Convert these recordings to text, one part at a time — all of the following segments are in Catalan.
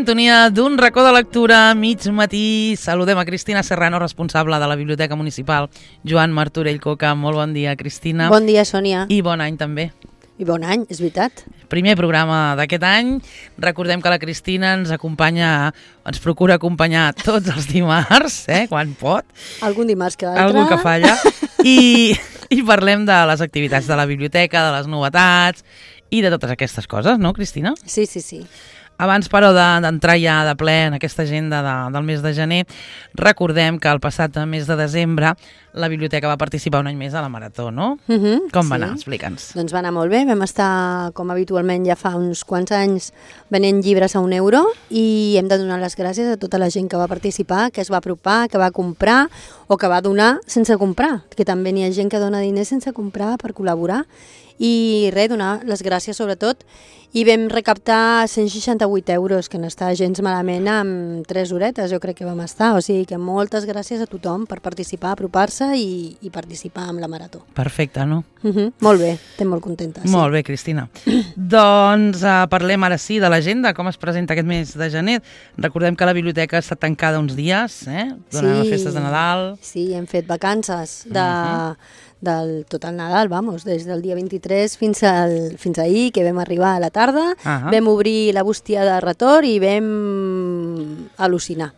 sintonia d'un racó de lectura mig matí. Saludem a Cristina Serrano, responsable de la Biblioteca Municipal Joan Martorell Coca. Molt bon dia, Cristina. Bon dia, Sònia. I bon any també. I bon any, és veritat. Primer programa d'aquest any. Recordem que la Cristina ens procura acompanyar tots els dimarts, quan pot. Algun dimarts que l'altre. Algú que falla. I parlem de les activitats de la biblioteca, de les novetats i de totes aquestes coses, no, Cristina? Sí, sí, sí. Abans, però, d'entrar ja de ple en aquesta agenda del mes de gener, recordem que el passat mes de desembre la biblioteca va participar un any més a la Marató, no? Com va anar? Explica'ns. Doncs va anar molt bé. Vam estar, com habitualment ja fa uns quants anys, venent llibres a €1 i hem de donar les gràcies a tota la gent que va participar, que es va apropar, que va comprar o que va donar sense comprar, que també n'hi ha gent que dona diners sense comprar per col·laborar. I res, donar les gràcies sobretot, i vam recaptar €168, que no està gens malament, amb 3 horetes, jo crec que vam estar, o sigui que moltes gràcies a tothom per participar, apropar-se i participar amb la Marató. Perfecte, no? Molt bé, estem molt contentes. Sí. Molt bé, Cristina. Doncs parlem ara sí de l'agenda, com es presenta aquest mes de gener. Recordem que la biblioteca està tancada uns dies, durant les festes de Nadal. Sí, hem fet vacances del tot el Nadal, des del dia 23 fins ahir, que vam arribar a la tarda, vam obrir la bústia de retorn i vam al·lucinar.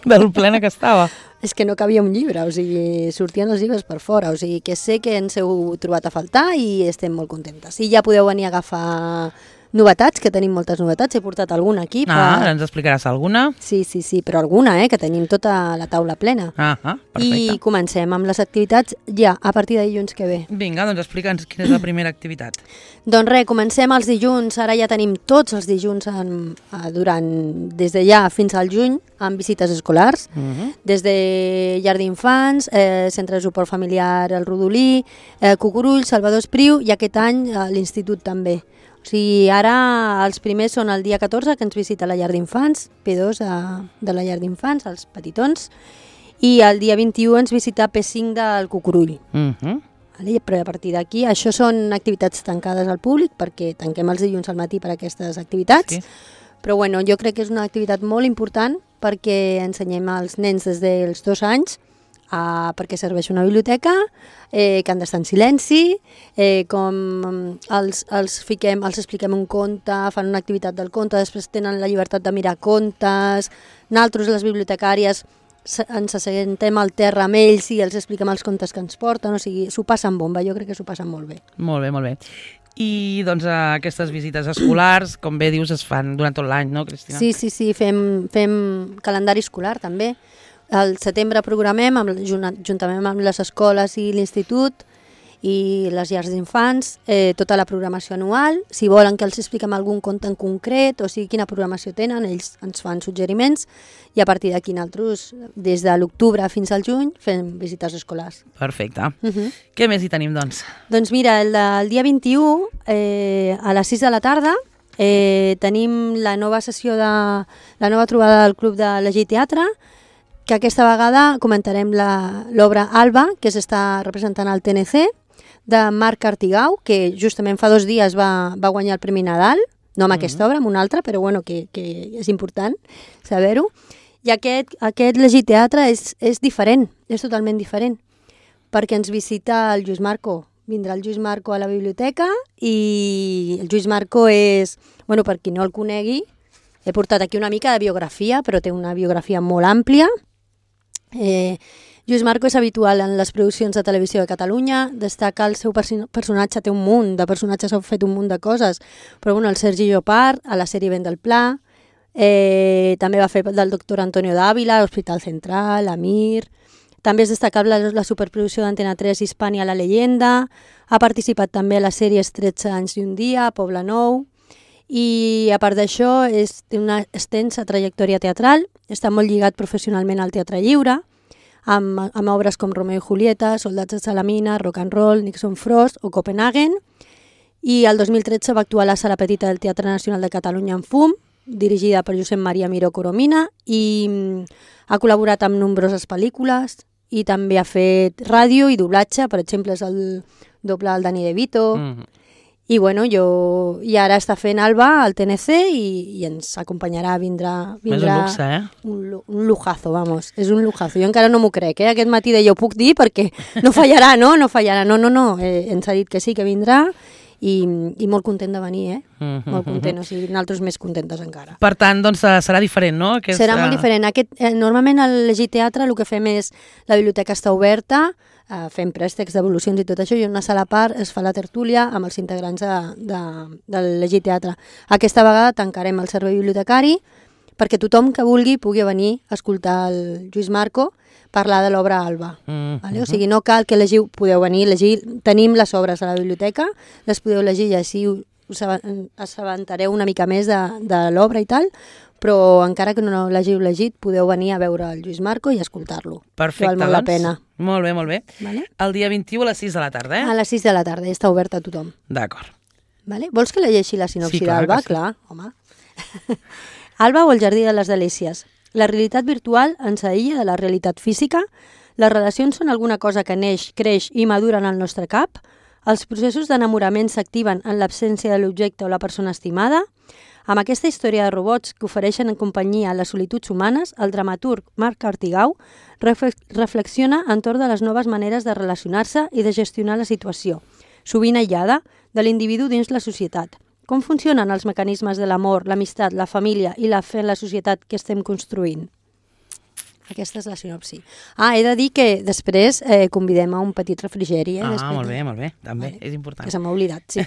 Del plena que estava. És que no cabia un llibre, o sigui, sortien els llibres per fora, o sigui, que sé que ens heu trobat a faltar i estem molt contentes. I ja podeu venir a agafar novetats, que tenim moltes novetats, he portat alguna aquí. Ara ens explicaràs alguna? Sí, però alguna, que tenim tota la taula plena. Perfecte. I comencem amb les activitats ja, a partir de dilluns que ve. Vinga, doncs explica'ns quina és la primera activitat. Doncs res, comencem els dilluns, ara ja tenim tots els dilluns des de ja fins al juny, amb visites escolars, des de llar d'infants, centre de suport familiar El Rodolí, Cucurull, Salvador Espriu i aquest any l'institut també. O sigui, ara els primers són el dia 14, que ens visita la llar d'infants, P2 de la llar d'infants, els petitons, i el dia 21 ens visita P5 del Cucurull. Però a partir d'aquí, això són activitats tancades al públic, perquè tanquem els dilluns al matí per a aquestes activitats, però bueno, jo crec que és una activitat molt important perquè ensenyem als nens des dels 2 anys perquè serveix una biblioteca, que han d'estar en silenci, com els expliquem un conte, fan una activitat del conte, després tenen la llibertat de mirar contes, nosaltres, les bibliotecàries, ens assentem al terra amb ells i els expliquem els contes que ens porten, o sigui, s'ho passen bomba, jo crec que s'ho passen molt bé. Molt bé, molt bé. I doncs aquestes visites escolars, com bé dius, es fan durant tot l'any, no, Cristina? Sí, fem calendari escolar també. Al setembre programem, juntament amb les escoles i l'institut i les llars d'infants, tota la programació anual. Si volen que els expliquem algun conte en concret, o sigui, quina programació tenen, ells ens fan suggeriments i a partir d'aquí nosaltres, des de l'octubre fins al juny, fem visites escolars. Perfecte. Què més hi tenim, doncs? Doncs mira, el dia 21, a les 6 de la tarda, tenim la nova trobada del Club de Llegir Teatre, que aquesta vegada comentarem l'obra Alba, que s'està representant al TNC, de Marc Artigau, que justament fa 2 dies va guanyar el Premi Nadal, no amb aquesta obra, amb una altra, però bueno, que és important saber-ho. I aquest Llegir Teatre és diferent, és totalment diferent, perquè ens visita el Lluís Marco. Vindrà el Lluís Marco a la biblioteca i el Lluís Marco és, bueno, per qui no el conegui, he portat aquí una mica de biografia, però té una biografia molt àmplia. Lluís Marco és habitual en les produccions de televisió de Catalunya, destaca el seu personatge, té un munt de personatges, ha fet un munt de coses, però bueno, el Sergi Llopart, a la sèrie Vent del Pla, també va fer del doctor Antonio Dávila, Hospital Central, Amir, també és destacable la superproducció d'Antena 3 Hispània La Leyenda, ha participat també a les sèries 13 anys i un dia, Poble Nou, i a part d'això té una extensa trajectòria teatral, està molt lligat professionalment al teatre lliure, amb obres com Romeo i Julieta, Soldats de Salamina, Rock and Roll, Nixon Frost o Copenhagen, i el 2013 va actuar a la Sala Petita del Teatre Nacional de Catalunya en Fum, dirigida per Josep Maria Miró Coromina, i ha col·laborat amb nombroses pel·lícules i també ha fet ràdio i doblatge, per exemple és el doble del Danny DeVito, I bueno, i ara està fent Alba al TNC i ens acompanyarà, vindrà És un luxe, un lujazo, vamos, és un lujazo. Jo encara no m'ho crec, Aquest matí deia, ho puc dir perquè no fallarà, no? No fallarà, no. Ens ha dit que sí, que vindrà i molt content de venir, molt content, o sigui, nosaltres més contentes encara. Per tant, doncs serà diferent, no? Serà molt diferent. Normalment al Llegir Teatre el que fem és, la biblioteca està oberta, fem préstecs d'evolucions i tot això, i en una sala a part es fa la tertúlia amb els integrants del Llegir Teatre. Aquesta vegada tancarem el servei bibliotecari perquè tothom que vulgui pugui venir a escoltar el Lluís Marco parlar de l'obra Alba. Vale? O sigui, no cal que llegiu, podeu venir a llegir, tenim les obres a la biblioteca, les podeu llegir i així us assabentareu una mica més de l'obra i tal, però encara que no l'hàgiu llegit, podeu venir a veure el Lluís Marco i escoltar-lo. Perfecte, val molt la pena. Molt bé. Vale? El dia 21 a les 6 de la tarda, A les 6 de la tarda, ja està oberta a tothom. D'acord. Vale? Vols que llegeixi la sinopsi clar d'Alba? que sí. Clar, home. Alba o el Jardí de les Delícies. La realitat virtual ens aïlla de la realitat física? Les relacions són alguna cosa que neix, creix i madura en el nostre cap? Els processos d'enamorament s'activen en l'absència de l'objecte o la persona estimada? Amb aquesta història de robots que ofereixen en companyia a les solituds humanes, el dramaturg Marc Artigau reflexiona entorn de les noves maneres de relacionar-se i de gestionar la situació, sovint aïllada, de l'individu dins la societat. Com funcionen els mecanismes de l'amor, l'amistat, la família i la fe en la societat que estem construint? Aquesta és la sinopsi. He de dir que després convidem a un petit refrigeri. Molt bé. També és important. Que se m'ha oblidat, sí.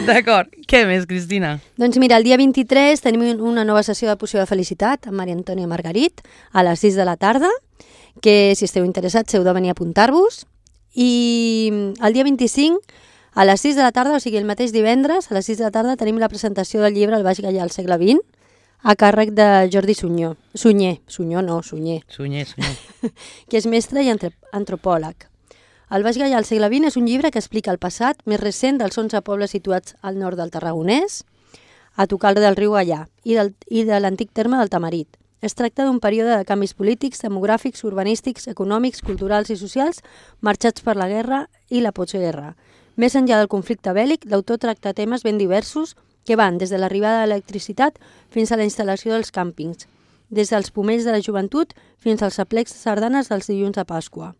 D'acord. Què més, Cristina? Doncs mira, el dia 23 tenim una nova sessió de poció de felicitat amb Maria Antònia Margarit a les 6 de la tarda, que si esteu interessats heu de venir a apuntar-vos. I el dia 25, a les 6 de la tarda, o sigui el mateix divendres, a les 6 de la tarda tenim la presentació del llibre El Baix Gaià al segle XX, a càrrec de Jordi Sunyer, que és mestre i antropòleg. El Baix Gaià al segle XX és un llibre que explica el passat més recent dels 11 pobles situats al nord del Tarragonès, a tocar del riu Gaià i de l'antic terme del Tamarit. Es tracta d'un període de canvis polítics, demogràfics, urbanístics, econòmics, culturals i socials marxats per la guerra i la postguerra. Més enllà del conflicte bèl·lic, l'autor tracta temes ben diversos que van des de l'arribada de l'electricitat fins a la instal·lació dels càmpings, des dels pomells de la joventut fins als aplecs de sardanes dels dilluns de Pasqua.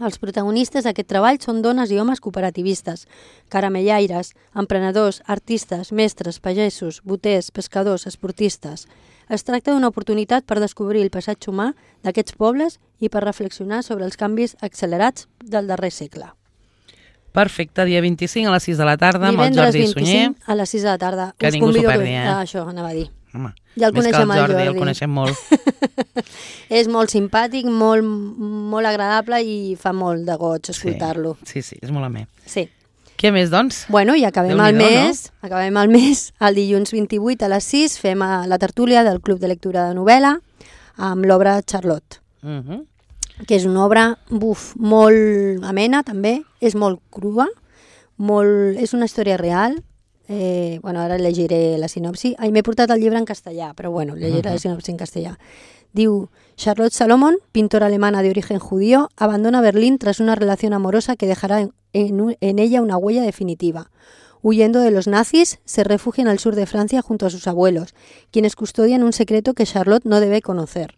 Els protagonistes d'aquest treball són dones i homes cooperativistes, caramellaires, emprenedors, artistes, mestres, pagesos, boters, pescadors, esportistes. Es tracta d'una oportunitat per descobrir el passatge humà d'aquests pobles i per reflexionar sobre els canvis accelerats del darrer segle. Perfecte, dia 25 a les 6 de la tarda amb el Jordi Sunyer. Divendres 25 a les 6 de la tarda. Que ningú s'ho perdi, Això anava a dir. Home, ja el coneixem, el Jordi. El coneixem molt. És molt simpàtic, molt agradable i fa molt de goig escoltar-lo. Sí, és molt amè. Sí. Què més, doncs? Bueno, i acabem el mes, el dilluns 28 a les 6 fem la tertúlia del Club de Lectura de Novel·la amb l'obra Charlotte. Que és una obra molt amena també, és molt crua, és una història real. Ara llegiré la sinopsi. M'he portat el llibre en castellà, però llegiré la sinopsi en castellà. Diu, Charlotte Salomon, pintora alemana de origen judío, abandona Berlín tras una relación amorosa que dejará en ella una huella definitiva. Huyendo de los nazis, se refugia en el sur de Francia junto a sus abuelos, quienes custodian un secreto que Charlotte no debe conocer.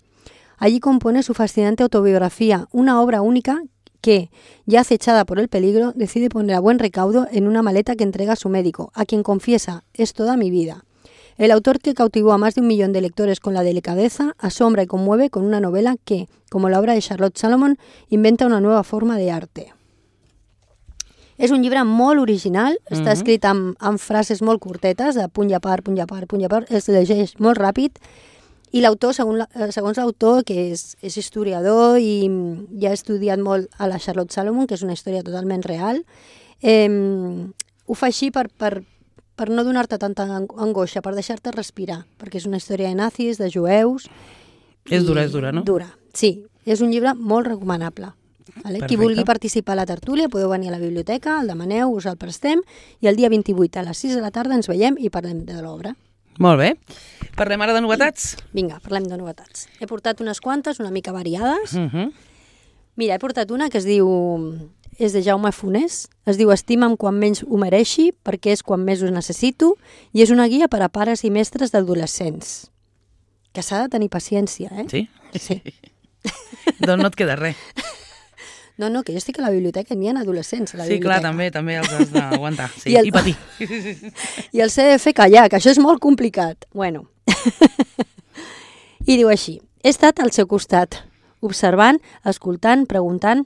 Allí compone su fascinante autobiografía, una obra única que, ya acechada por el peligro, decide poner a buen recaudo en una maleta que entrega a su médico, a quien confiesa, es toda mi vida. El autor que cautivó a más de 1 millón de lectores con la delicadeza, asombra y conmueve con una novela que, como la obra de Charlotte Salomon, inventa una nueva forma de arte. És un llibre molt original, està escrit amb frases molt curtetes, de punt i a part, es llegeix molt ràpid, i l'autor, segons l'autor, que és historiador i ja ha estudiat molt a la Charlotte Salomon, que és una història totalment real, ho fa així per no donar-te tanta angoixa, per deixar-te respirar, perquè és una història de nazis, de jueus... És dura, no? Dura, sí. És un llibre molt recomanable. Vale? Qui vulgui participar a la tertúlia podeu venir a la biblioteca, el demaneu, us el prestem, i el dia 28 a les 6 de la tarda ens veiem i parlem de l'obra. Molt bé. Parlem ara de novetats? Vinga, parlem de novetats. He portat unes quantes, una mica variades. Mira, he portat una que es diu és de Jaume Funès, es diu Estima'm quan menys ho mereixi, perquè és quan més ho necessito, i és una guia per a pares i mestres d'adolescents. Que s'ha de tenir paciència, eh? Sí? Sí. Doncs no et queda res. No, que jo estic a la biblioteca i n'hi ha adolescents a la Sí, clar, biblioteca. també els has d'aguantar. Sí, I i patir. I el CDF callar, que això és molt complicat. Bueno. I diu així: he estat al seu costat, observant, escoltant, preguntant.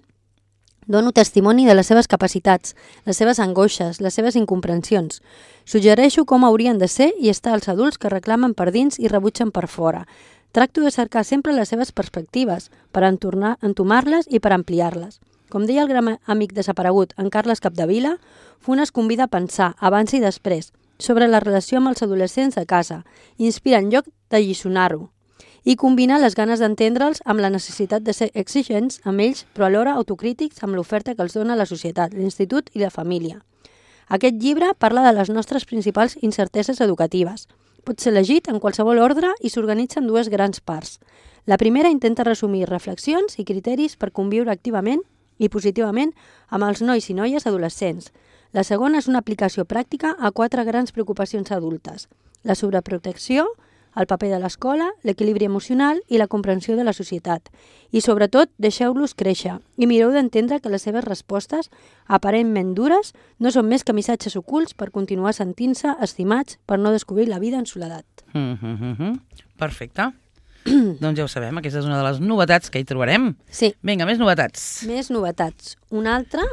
Dono testimoni de les seves capacitats, les seves angoixes, les seves incomprensions. Suggereixo com haurien de ser i estar els adults que reclamen per dins i rebutgen per fora. Tracto de cercar sempre les seves perspectives, per entomar-les i per ampliar-les. Com deia el gran amic desaparegut, en Carles Capdevila, Funes convida a pensar, abans i després, sobre la relació amb els adolescents de casa, inspira en lloc de lliçonar-ho, i combina les ganes d'entendre'ls amb la necessitat de ser exigents amb ells, però alhora autocrítics amb l'oferta que els dona la societat, l'institut i la família. Aquest llibre parla de les nostres principals incerteses educatives. Pot ser llegit en qualsevol ordre i s'organitza en dues grans parts. La primera intenta resumir reflexions i criteris per conviure activament i positivament amb els nois i noies adolescents. La segona és una aplicació pràctica a 4 grans preocupacions adultes: la sobreprotecció, el paper de l'escola, l'equilibri emocional i la comprensió de la societat. I sobretot, deixeu-los créixer i mireu d'entendre que les seves respostes, aparentment dures, no són més que missatges ocults per continuar sentint-se estimats per no descobrir la vida en soledat. Perfecte. Doncs ja ho sabem, aquesta és una de les novetats que hi trobarem. Sí. Vinga, més novetats. Més novetats. Una altra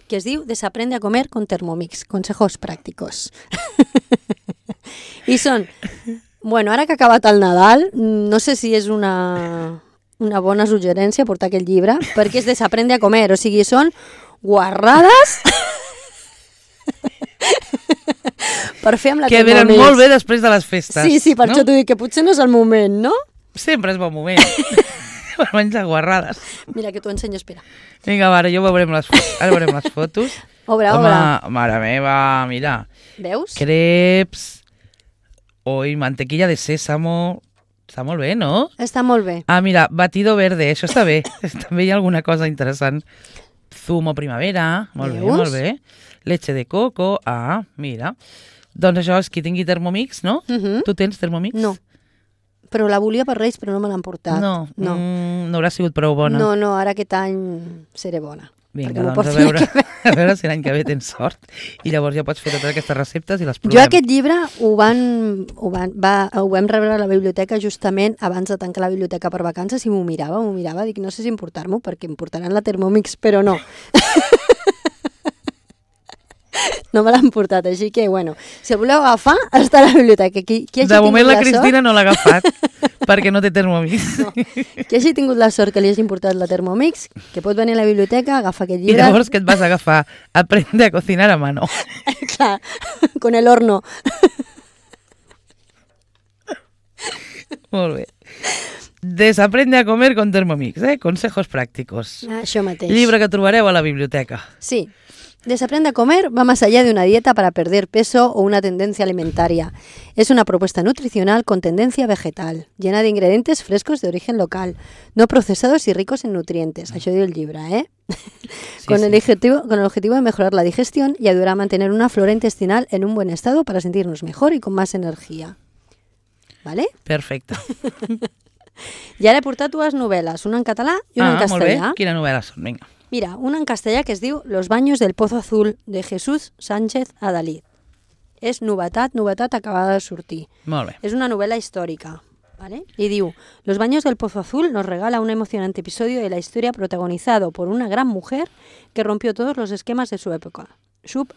que es diu Desaprende a comer con Thermomix, consejos prácticos. I són... Bueno, ara que ha acabat el Nadal, no sé si és una bona suggerència portar aquest llibre, perquè és Desaprende a comer, o sigui, són guarrades per fer amb la que Thermomix. venen molt bé després de les festes. Sí, per això t'ho dic, que potser no és el moment, no? Sempre és bon moment per menjar guarrades. Mira, que t'ho ensenyo, espera. Vinga, ara veurem les fotos. Obre. Mare meva, mira. Veus? Creps... Oi, mantequilla de sésamo... Està molt bé, no? Està molt bé. Ah, mira, batido verde, això està bé. També hi ha alguna cosa interessant. Zumo primavera, molt bé. Leche de coco, mira. Doncs això és qui tingui Thermomix, no? Tu tens Thermomix? No. Però la volia per Reis, però no me l'han portat. No haurà sigut prou bona. No, ara aquest any seré bona. Vinga, doncs a veure si l'any que ve tens sort i llavors ja pots fer totes aquestes receptes i les provem. Jo aquest llibre ho vam rebre a la biblioteca justament abans de tancar la biblioteca per vacances i m'ho mirava, dic, no sé si importar-m'ho perquè em portaran la Thermomix, però no. No me l'han portat, així que, bueno, si el voleu agafar, està a la biblioteca. De moment la Cristina no l'ha agafat, perquè no té Thermomix. No. Qui hagi tingut la sort que li hagin portat la Thermomix, que pot venir a la biblioteca, agafa aquest llibre... I llavors què et vas agafar? Aprende a cocinar a mano. Clar, con el horno. Molt bé. Desaprende a comer con Thermomix, consejos prácticos. Això mateix. Llibre que trobareu a la biblioteca. Sí. Desaprende a comer va más allá de una dieta para perder peso o una tendencia alimentaria. Es una propuesta nutricional con tendencia vegetal, llena de ingredientes frescos de origen local, no procesados y ricos en nutrientes. Això diu el llibre, Sí, con el objetivo de mejorar la digestión y ayudar a mantener una flora intestinal en un buen estado para sentirnos mejor y con más energía. ¿Vale? Perfecte. I ara he portat dues novel·les, una en català i una en castellà. Molt bé. Quina novel·la són? Vinga. Mira, una en castellà que es diu Los baños del Pozo Azul, de Jesús Sánchez Adalid. És novetat acabada de sortir. Molt bé. Es una novela histórica, ¿vale? Y diu, Los baños del Pozo Azul nos regala un emocionante episodio de la historia protagonizado por una gran mujer que rompió todos los esquemas de su época. Shub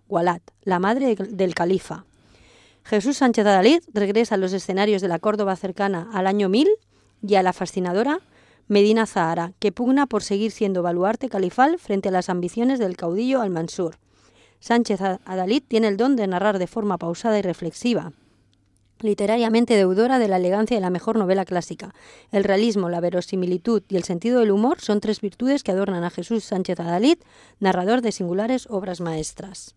Walat, la madre del califa. Jesús Sánchez Adalid regresa a los escenarios de la Córdoba cercana al año 1000 y a la fascinadora Medina Zahara, que pugna por seguir siendo baluarte califal frente a las ambiciones del caudillo Al-Mansur. Sánchez Adalid tiene el don de narrar de forma pausada y reflexiva, literariamente deudora de la elegancia de la mejor novela clásica. El realismo, la verosimilitud y el sentido del humor son tres virtudes que adornan a Jesús Sánchez Adalid, narrador de singulares obras maestras.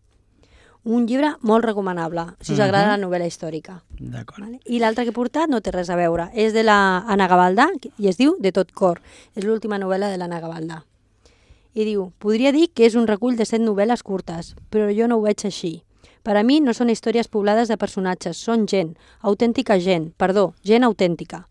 Un llibre molt recomanable, si us agrada la novel·la històrica. D'acord. Vale? I l'altre que he portat no té res a veure. És de la Anna Gavaldà i es diu De tot cor. És l'última novel·la de l'Anna Gavaldà. I diu, podria dir que és un recull de 7 novel·les curtes, però jo no ho veig així. Per a mi no són històries poblades de personatges, són gent, gent autèntica.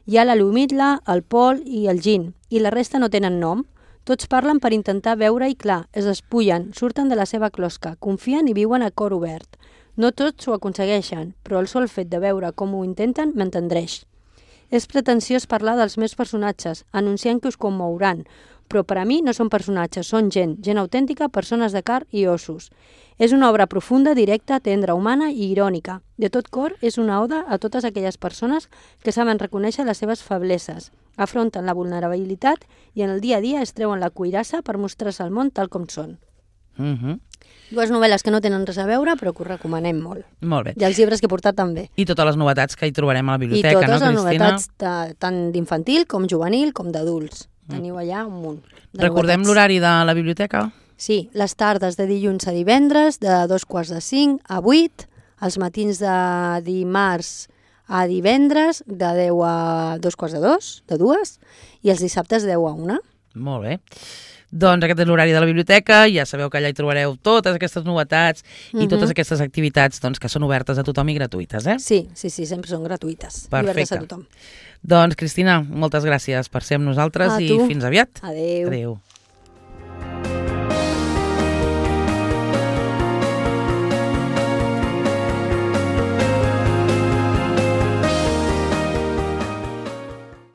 Hi ha la Lumidla, el Pol i el Gin, i la resta no tenen nom. Tots parlen per intentar veure-hi clar, es despullen, surten de la seva closca, confien i viuen a cor obert. No tots ho aconsegueixen, però el sol fet de veure com ho intenten m'entendreix. És pretensiós parlar dels meus personatges, anunciant que us commouran, però per a mi no són personatges, són gent autèntica, persones de carn i ossos. És una obra profunda, directa, tendra, humana i irònica. De tot cor, és una oda a totes aquelles persones que saben reconèixer les seves febleses, afronten la vulnerabilitat i en el dia a dia es treuen la cuirassa per mostrar-se al món tal com són. Dues novel·les que no tenen res a veure, però que us recomanem molt. Molt bé. I els llibres que he portat també. I totes les novetats que hi trobarem a la biblioteca, no, Cristina? I totes les novetats tant d'infantil com juvenil com d'adults. Teniu allà un munt de Recordem novetats. l'horari de la biblioteca? Sí, les tardes de dilluns a divendres, de 2:45 a 8, els matins de dimarts a divendres, de 10 a 2:45, de 2, i els dissabtes de 10 a 1. Molt bé. Doncs aquest és l'horari de la biblioteca, ja sabeu que allà hi trobareu totes aquestes novetats i totes aquestes activitats doncs, que són obertes a tothom i gratuïtes, eh? Sí, sempre són gratuïtes. Perfecte. Obertes a tothom. Doncs, Cristina, moltes gràcies per ser amb nosaltres i fins aviat. Adéu. Adéu.